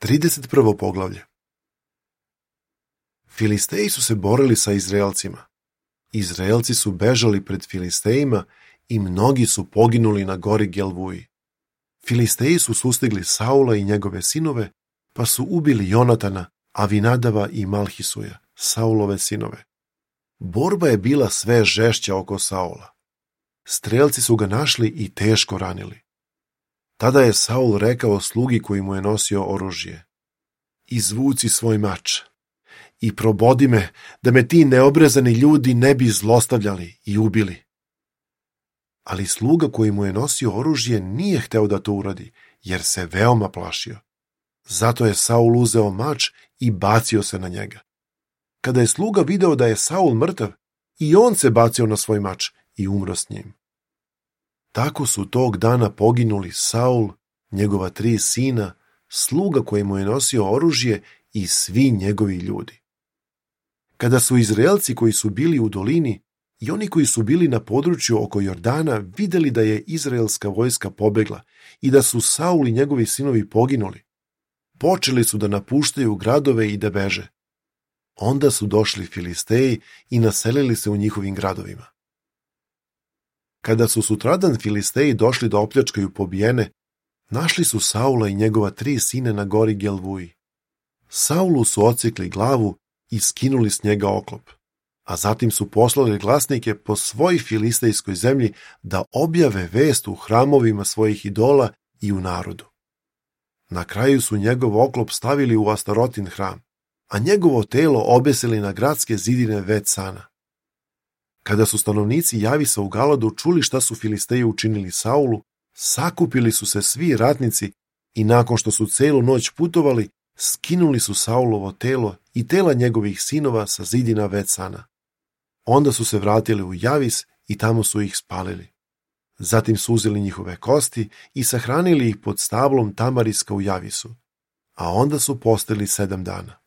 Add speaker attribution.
Speaker 1: 31. poglavlje. Filisteji su se borili sa Izraelcima. Izraelci su bežali pred Filistejima i mnogi su poginuli na gori Gelvuji. Filisteji su sustigli Saula i njegove sinove, pa su ubili Jonatana, Avinadava i Malhisuja, Saulove sinove. Borba je bila sve žešća oko Saula. Strelci su ga našli i teško ranili. Tada je Saul rekao slugi koji mu je nosio oružje: izvuci svoj mač i probodi me, da me ti neobrezani ljudi ne bi zlostavljali i ubili. Ali sluga koji mu je nosio oružje nije hteo da to uradi, jer se veoma plašio. Zato je Saul uzeo mač i bacio se na njega. Kada je sluga video da je Saul mrtav, i on se bacio na svoj mač i umro s njim. Tako su tog dana poginuli Saul, njegova 3 sina, sluga koji mu je nosio oružje i svi njegovi ljudi. Kada su Izraelci koji su bili u dolini i oni koji su bili na području oko Jordana videli da je izraelska vojska pobegla i da su Saul i njegovi sinovi poginuli, počeli su da napuštaju gradove i da beže. Onda su došli Filisteji i naselili se u njihovim gradovima. Kada su sutradan Filisteji došli da opljačkaju pobijene, našli su Saula i njegova 3 sina na gori Gelvuji. Saulu su odsjekli glavu i skinuli s njega oklop, a zatim su poslali glasnike po svoj filistejskoj zemlji da objave vest u hramovima svojih idola i u narodu. Na kraju su njegov oklop stavili u Astarotin hram, a njegovo telo obesili na gradske zidine Vetsana. Kada su stanovnici Javisa u Galadu čuli šta su Filisteji učinili Saulu, sakupili su se svi ratnici i nakon što su celu noć putovali, skinuli su Saulovo telo i tela njegovih sinova sa zidina Vetsana. Onda su se vratili u Javis i tamo su ih spalili. Zatim su uzeli njihove kosti i sahranili ih pod stablom tamariska u Javisu, a onda su postili 7 dana.